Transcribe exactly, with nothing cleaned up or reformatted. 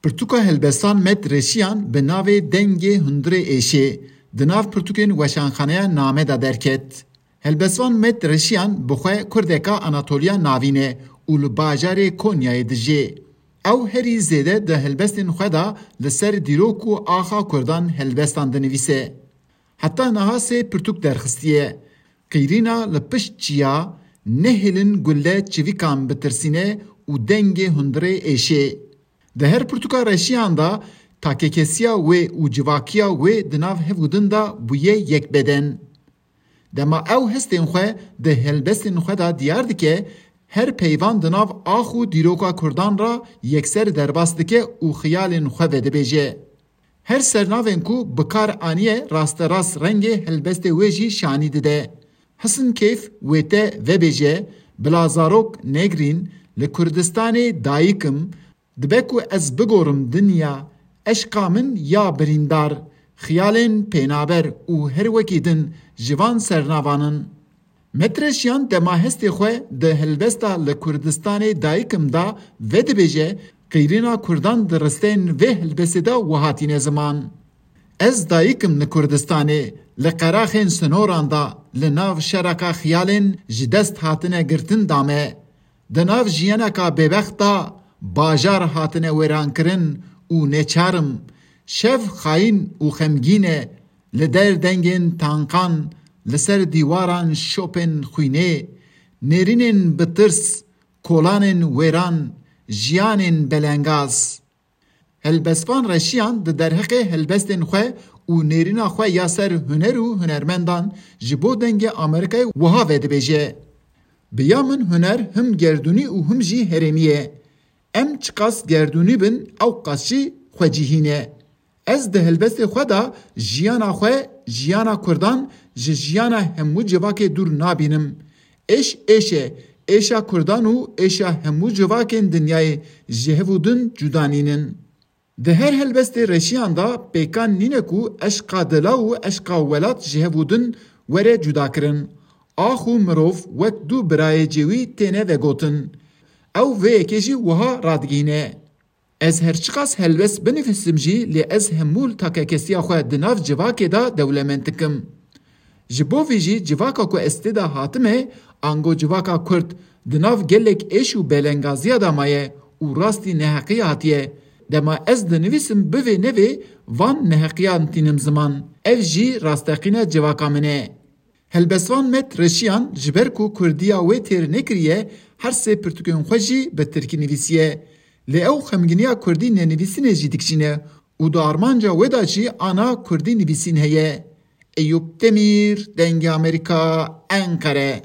Pirtûka helbestan Met Reşiyan bi navê Dengê Hundirê Êşê di nav pirtûkên weşanxaneya Name de derket. Helbesvan Met Reşiyan bi xwe Kurdeka Anatoliya Navîn e û li bajarê Konyayê dijî. Ew herî zêde di helbestên xwe de li ser dîrok û axa Kurdan helbestan dinivîse. Heta niha sê pirtûk derxistiye. Qîrîna li pişt çiya, Nehêlin gulle çivîkan bitirsîne û Dengê Hundirê Êşê. Di her pirtûka Reşiyan de takekesiya wê û civakiya wê di nav hev û din de bûye yek beden. Dema ew hestên xwe di helbestên xwe de diyar dike, her peyvan di nav ax û dîroka Kurdan re yekser derbas dike û xiyalên xwe vedibêje. Her sernavên ku bi kar aniye rasterast rengê helbestê wê jî şanî dide. Hisin keyf wê te vebêje, bila zarok negrîn, li Kurdistanê dayik im, dibe ku ez bigorim dinya, eşqa min ya birîndar, xiyalên pênaber û her wekî din ji van sernavan in. Met Reşiyan dema hestê xwe di helbesta Li Kurdistanê dayik im de vedibêje, qîrîna Kurdan di risteyên vê helbestê de wiha tîne ziman. Ez dayik im li Kurdistanê, li qeraxên sinoran de, li nav şereka xiyalên ji dest hatine girtin de me. Di nav jiyaneka bêbext de bajar hatine wêrankirin û neçar im. Şev xayîn û xemgîn e, li der dengên tankan, li ser dîwaran şopên xwînê, nêrînên bi tirs, kolanên wêran, jiyanên belengaz. Helbestvan Reşiyan di derheqê helbestên xwe û nêrîna xwe ya ser huner û hunermendan ji bo Dengê Amerîkayê wiha vedibêje: Bi ya min huner him gerdûnî û him jî herêmî ye. Em çiqas gerdûnî bin, ew qas jî xwecihî ne. Ez di helbestê xwe de jiyana xwe, jiyana Kurdan ji jiyana hemû civakê dûr nabînim. Êş êş e, êşa Kurdan û êşa hemû civakên dinyayê ji hev û din cuda nînin. Di her helbestê Reşiyan de pêkan nîne ku eşqa dila û eşqa welat ji hev û din were cudakirin. Ax û mirov wek du birayê cêwî têne vegotin. Ew vê yekê jî wiha radigihîne: Ez her çiqas helbest binivîsim jî, lê ez hemû takekesiya xwe di nav civakê de dewlemend dikim. Ji bo vî jî civaka ku ez tê de hatime, ango civaka Kurd, di nav gelek êş û belengaziya de maye û rastî neheqiyê hatiye. Dema ez dinivîsim bivê nevê, van neheqiyan tînim ziman. Ev jî rasteqîna civaka min e. Helbestvan Met Reşiyan ji ber ku kurdiya wê têr nekiriye, her sê pirtûkên xwe jî bi tirkî nivîsiye. Lê ew xemgîniya kurdî nenivîsînê jî dikişîne û di armanca wê de jî ana kurdî nivîsîn heye. Eyûp Demîr, Dengê Amerîka, Enqere.